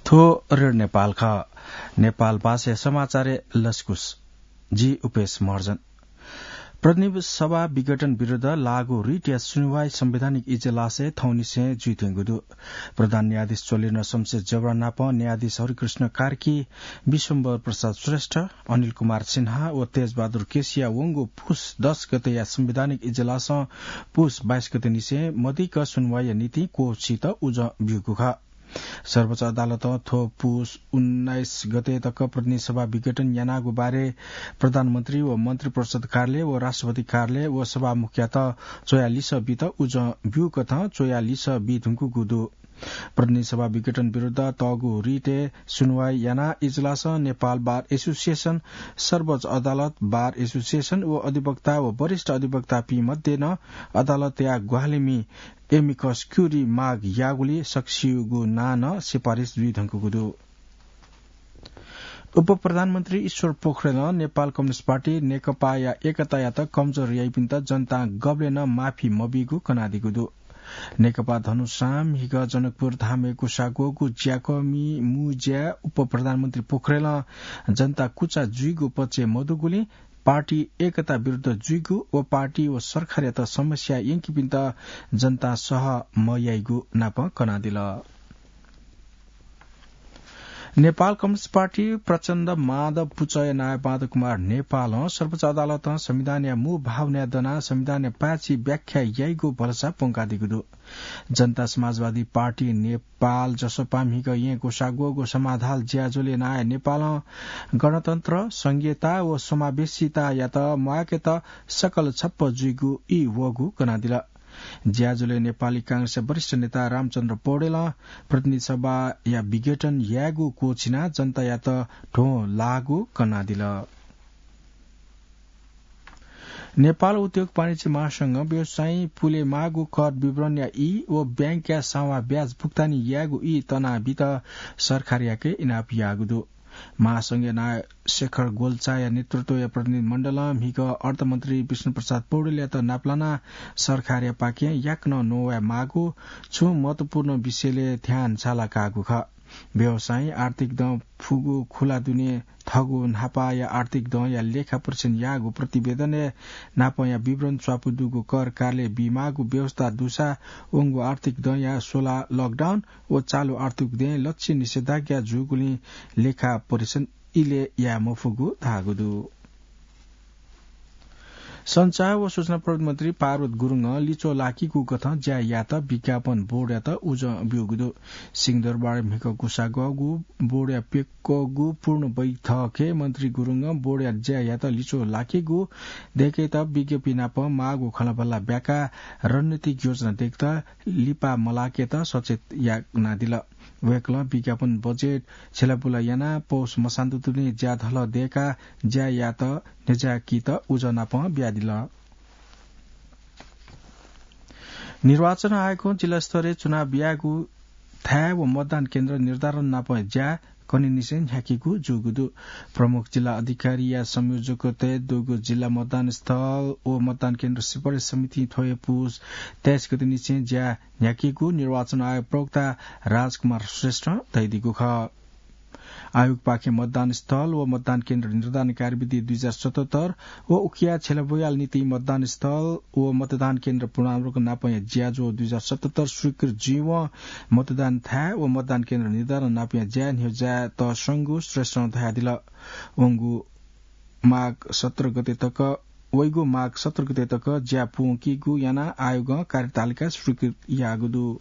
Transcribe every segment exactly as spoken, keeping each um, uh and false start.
थ्व रेडियो नेपाल खः। नेपाल भाषाया समाचारय् लसकुस। जि उपेश महर्जन। प्रतिनिधि सभा विघटन विरुद्ध लागू रिटया सुनुवाइ संवैधानिक इजलासय् थौंनिसें जुइत्यंगु दु। प्रधान न्यायाधीश चोलेन्द्र शमशेर जबरा नाप न्यायाधीश हरिकृष्ण कार्की, विश्वम्भर प्रसाद श्रेष्ठ, अनिल कुमार सिन्हा व तेजबहादुर केसीया वंगु पुस दस गतेया संवैधानिक इजलासं पुस बाइस गते निसें मदिक्क सुनुवाइया निंतिं क्वःछित उजं ब्यूगु खः। सर्वोच्च अदालतं थ्व पुस उन्नाइस गते तक प्रतिनिधि सभा विघटन यानागु बारे प्रधानमन्त्री व मन्त्री परिषद कार्यालय व राष्ट्रपति कार्यालय व सभामुखयात च्वया लिसः बीत उजं ब्यूकथं च्वया लिसः बी धुंकूगु दु। प्रतिनिधि सभा विघटन विरुद्ध तःगु रिटय् सुनुवाइ यानाः इजलासं नेपाल बार एसोसिएसन, सर्वोच्च अदालत बार एसोसिएसन व अधिवक्ता व वरिष्ठ अधिवक्तापिं मध्ये नं अदालतया ग्वाहालिमि एमिकस क्युरी माग याःगुलिं सकसिगु नां नं सिफारिस जुइधुंकूगु दु। उपप्रधानमन्त्री ईश्वर पोखरेलं नेपाल कम्युनिस्ट पार्टी नेकपाया एकतायात कमजोर याइपिन्त जनतां गबलें नं माफी मबीगु कनादीगु दु। नेकपा धनुषां म्हिगः जनकपुर धामय् ग्वसाः ग्वःगु ज्याकःमि मू ज्याय् उपप्रधानमन्त्री पोखरेलं जनता कुचा जुइगु पक्षय् मदुगुलिं पार्टी एकता विरुद्ध जुइगु व पार्टी व सरकारयात समस्या यंकीपिन्त जनतां सह मयाइगु नाप कनादिल। नेपाल कम्युनिस्ट पार्टी प्रचण्ड माधव पुचःया नायः माधव कुमार नेपालं सर्वोच्च अदालतं संविधानया मू भावनाय् दनाः संविधानया पाय्छि व्याख्या याइगु भलसा प्वंकादीगु दु। जनता समाजवादी पार्टी नेपाल जसपा म्हिगः येँ ग्वसाः ग्वःगु समाधाल ज्याझ्वलय् नायः नेपालं गणतन्त्र, संघीयता व समावेशितायात म्वाकेत सकल छप्प जुइगु ई वःगु कनादिल। ज्याझ्वलय् नेपाली कांग्रेसया वरिष्ठ नेता रामचन्द्र पौडेलं प्रतिनिधि सभाया विघटन यायेगु क्वःछिनाः जनतायात ध्वं लाःगु कनादिल। नेपाल उद्योग वाणिज्य महासंघं व्यवसायीं पुले माःगु कर विवरणया ई व बैंकया सावां ब्याज भुक्तानी यायेगु ई तनाबीत सरकारयाके इनाप याःगु दु। महासंघया नायः शेखर गोल्चाया नेतृत्वया प्रतिनिधि मण्डलं म्हिगः अर्थमन्त्री विष्णुप्रसाद पौडेलयात नापलानाः सरकारयापाखें याकनं नवाये माःगु छुं महत्वपूर्ण विषयलय् ध्यान झाला काःगु खः। व्यवसायी आर्थिक दँ फुगु खुला दुने थःगु न्हापाया आर्थिक दँया लेखा परीक्षण याःगु प्रतिवेदनय् नापंया विवरण च्वापु दुगु कर कार्यालयं बीमाःगु व्यवस्था दुसा वंगु आर्थिक दँया स्वला लकडाउन व चालु आर्थिक दँय् लच्छि निषेधाज्ञा जूगुलिं लेखा परीक्षण इलय् याये मफुगु धाःगु दु। सञ्चार व सूचना प्रविधि मन्त्री पार्वत गुरुङं लिच्वः लाकीगु कथं ज्या यायेत विज्ञापन बोर्डयात उजं ब्यूगु दु। सिंहदरबारय् म्हिगः ग्वसाः ग्वःगु बोर्डया प्यक्वःगु पूर्ण बैठकय् मन्त्री गुरुङं बोर्डया ज्या यायेत लिच्वः लाकीगु दय्केत विज्ञप्ति नाप माःगु खँल्हाबल्हा ब्याकाः रणनीतिक योजना दय्केत लिपा मलाकेत सचेत यानादिल। वय्कलं विज्ञापन बजेट छ्यलाबुला यानाः पौष मसान्तुतिनि ज्याधलः दय्काः ज्या यायेत न्ह्यज्याकीत उजं नाप बियादिल। निर्वाचन आयोगं जिल्लास्तरय् चुनाव यायेगु थाय् व मतदान केन्द्र निर्धारण नापं ज्या कन्हय्निसें न्ह्याकीगु जूगु दु। प्रमुख जिल्ला अधिकारीया संयोजकत्वय् दुगु जिल्ला मतदान स्थल व मतदान केन्द्र सिफारिस समितिं थ्व हे पुस तेइस गतेनिसें ज्या न्ह्याकीगु निर्वाचन आयोग प्रवक्ता राजकुमार श्रेष्ठं धयादीगु खः। आयोगपाखें मतदान स्थल व मतदान केन्द्र निर्धारण कार्यविधि दुई हजार सतहत्तर व उकिया छ्यलाबुलाया निंतिं मतदान स्थल व मतदान केन्द्र पुनरावलोकन नापंया ज्याझ्वः दुई हजार सतहत्तर स्वीकृत जुइवं मतदान थाय् व मतदान केन्द्र निर्धारण नापंया ज्या न्ह्यज्यायेत संगु श्रेष्ठं धयादिल। वंगु माघ सत्र गते तक, वइगु माघ सत्र गते तक ज्या पूवंकीगु यानाः आयोगं कार्यतालिका स्वीकृत याःगु दु।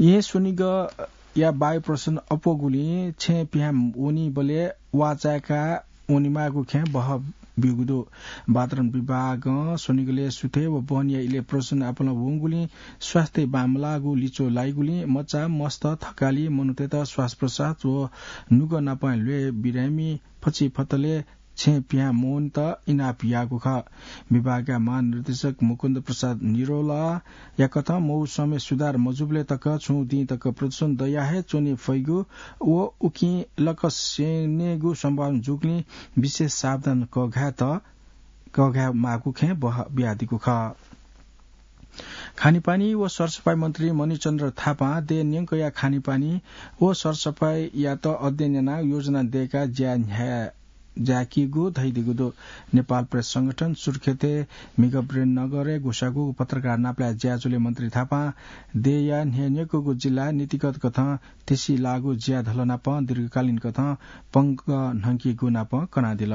येँ स्वनिगःया वायु प्रदूषण अप्वःगुलिं छेँ पिहां वनीबलय् वा चाय्का वनेमाःगु खँय् बहः ब्यूगु दु। वातावरण विभागं स्वनिगलय् सुथय् व बहनीया इलय् प्रदूषण आपालं वंगुलिं स्वास्थ्य बांमलाःगु लिच्वः लाइगुलिं मचा, मस्त, थकालि मनूतय्त श्वासप्रश्वास व नुगः नापं ल्वय् बिरामि फचिफतलय् छेँ पिहां मवनेत इनाप याःगु खः। विभागया महानिर्देशक मुकुन्द प्रसाद निरोलाया कथं मौसमय् सुधार मजूबलय् तक छुं दिं तक प्रदूषण दया हे च्वने फइगु व उकिं लकस्यनेगु सम्भावना जूगुलिं विशेष सावधान कःघायेत, कःघाये माःगु खँय् बहः बियादीगु खः। खानेपानी व सरसफाई मन्त्री मणिचन्द्र थापां देय् न्यंकया खानेपानी व सरसफाईयात अध्ययन यानाः योजना दय्काः ज्या न्ह्याः ज्याकीगु धयादीगु दु। नेपाल प्रेस संगठन सुर्खेतय् म्हिगः वीरेन्द्रनगरय् ग्वसाःगु पत्रकार नापलाये ज्याझ्वलय् मन्त्री थापां देय्या न्ह्यः न्यंकूगु जिल्ला नीतिगत कथं तेसिलाःगु ज्या धलनापं दीर्घकालीन कथं पंगः न्हंकीगु नापं कनादिल।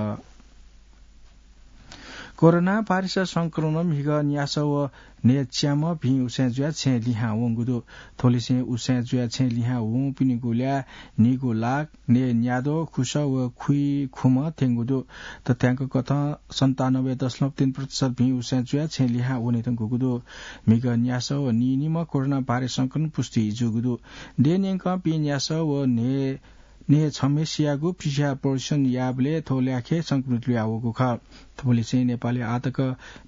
कोरोना भाइरस संक्रमणं म्हिगः न्यासः व न्हय् च्याम्ह भिं उसाँय् जुयाः छेँय् लिहां वंगु दु। थ्वलिसें उसाँय् जुयाः छेँय् लिहां वंपिनिगु ल्याः नीगू लाख, न्हय् न्याद्वः, खुसः व खुइखुम्ह थ्यंगु दु। तथ्यांक कथं सन्तानब्बे दशमलव तीन प्रतिशत भिं उसाँय् जुयाः छेँय् लिहां वने धुंकूगु दु। म्हिगः न्यासः व नीनिम्ह कोरोना भाइरस संक्रमण पुष्टि जूगु दु। देय् न्यंकपिं न्यासः व न्हय् न्हय् छम्हेसियागु पीसीआर परीक्षण याःबलय् थ्व ल्याखय् संक्रमित लुयावःगु खः। थुबलय् चाहिँ नेपालय् आःतक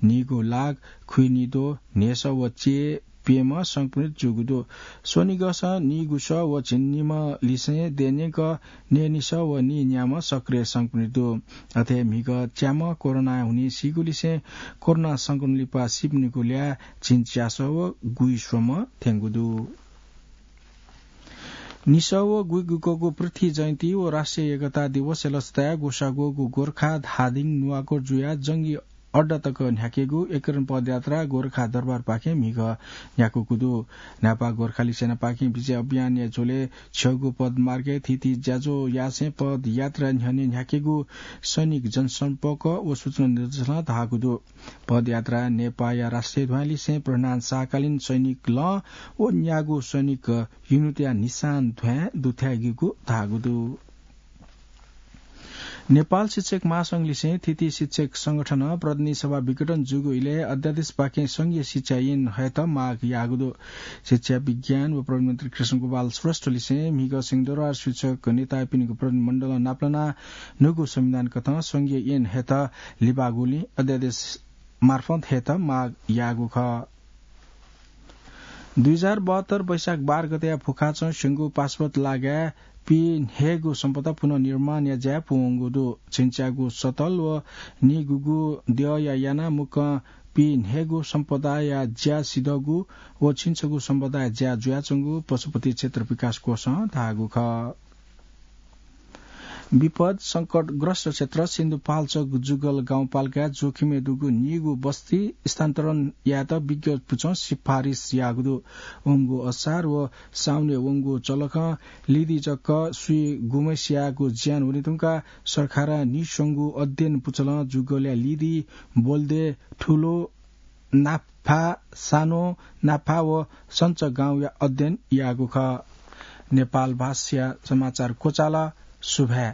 नीगू लाख, खुइनिद्वः, न्हय्सः व च्यय् प्यम्ह संक्रमित जूगु दु। स्वनिगःसं नीगुसः व झिंनिम्ह लिसें देय् न्यंक न्हय्निसः व नीन्याम्ह सक्रिय संक्रमित दु। अथे म्हिगः च्याम्ह कोरोना हुनिं सीगु लिसें कोरोना संक्रमण लिपा सीपिनिगु ल्याः झिंच्यासः व गुइस्वम्ह थ्यंगु दु। निसः व गुइगुकःगु पृथ्वी जयन्ती व राष्ट्रिय एकता दिवसया लसताय् ग्वसाः ग्वःगु गोर्खा धादिङ नुवाकोट जुयाः जंगी अड्डा तक न्ह्याकेगु एकीकरण पदयात्रा गोर्खा दरबारपाखें म्हिगः न्ह्याकूगु दु। न्हापा गोर्खाली सेनापाखें विजय अभियानया झ्वलय् छ्यःगु पदमार्गय् थीथी ज्याझ्वः यासें पदयात्रा न्ह्यःने न्ह्याकेगु सैनिक जनसम्पर्क व सूचना निर्देशालयं धाःगु दु। पदयात्रा नेपाःया राष्ट्रिय ध्वाँय् लिसें प्रधान शाहकालीन सैनिक लं व न्यागू सैनिक युनिटया निशान ध्वाँय् दुथ्याइगु धाःगु दु। नेपाल शिक्षक महासंघ लिसें थीथी शिक्षक संगठनं प्रतिनिधि सभा विघटन जूगु इलय् अध्यादेशपाखें संघीय शिक्षा ऐन हयेत माग याःगु दु। शिक्षा, विज्ञान व प्रविधि मन्त्री कृष्ण गोपाल श्रेष्ठ लिसें म्हिगः सिंहदरबार शिक्षक नेतापिनिगु प्रतिनिधि मण्डलं नापलानाः न्हूगु संविधान कथं संघीय ऐन हयेत लिबागुलिं अध्यादेश मार्फत हयेत माग याःगु खः। दुई हजार बहत्तर वैशाख बाह्र गतेया भुखाचं स्यंगू पाशुपत लागाय् पीन्हय्गू सम्पदा पुनर्निर्माणया ज्याय् पूवंगु दु। झिंच्यागू सतल व नीगुगू द्यःया यानाः मुक्कं पीन्हय्गू सम्पदाया ज्या सिधःगु व झिंछगू सम्पदाया ज्या जुयाच्वंगु पशुपति क्षेत्र विकास कोषं धाःगु खः। विपद संकटग्रस्त क्षेत्र सिन्धुपाल्चोक जुगल गाउँपालिकाय् जोखिमय् दुगु नीगू बस्ती स्थानान्तरण यायेत विज्ञ पुचलं सिफारिस याःगु दु। वंगु असार व साउने वंगु चलखं लिदि जक स्वीगुम्हसियागु ज्यान वने धुंकाः सरकारं नीस्वंगू अध्ययन पुचलं जुगलया लिदि, बोल्दे, ठुलो, नाफा, सानो, नाफा व सञ्च गाउँया अध्ययन याःगु खः। नेपाल भाषाया समाचार क्वचाल। सुभाय्।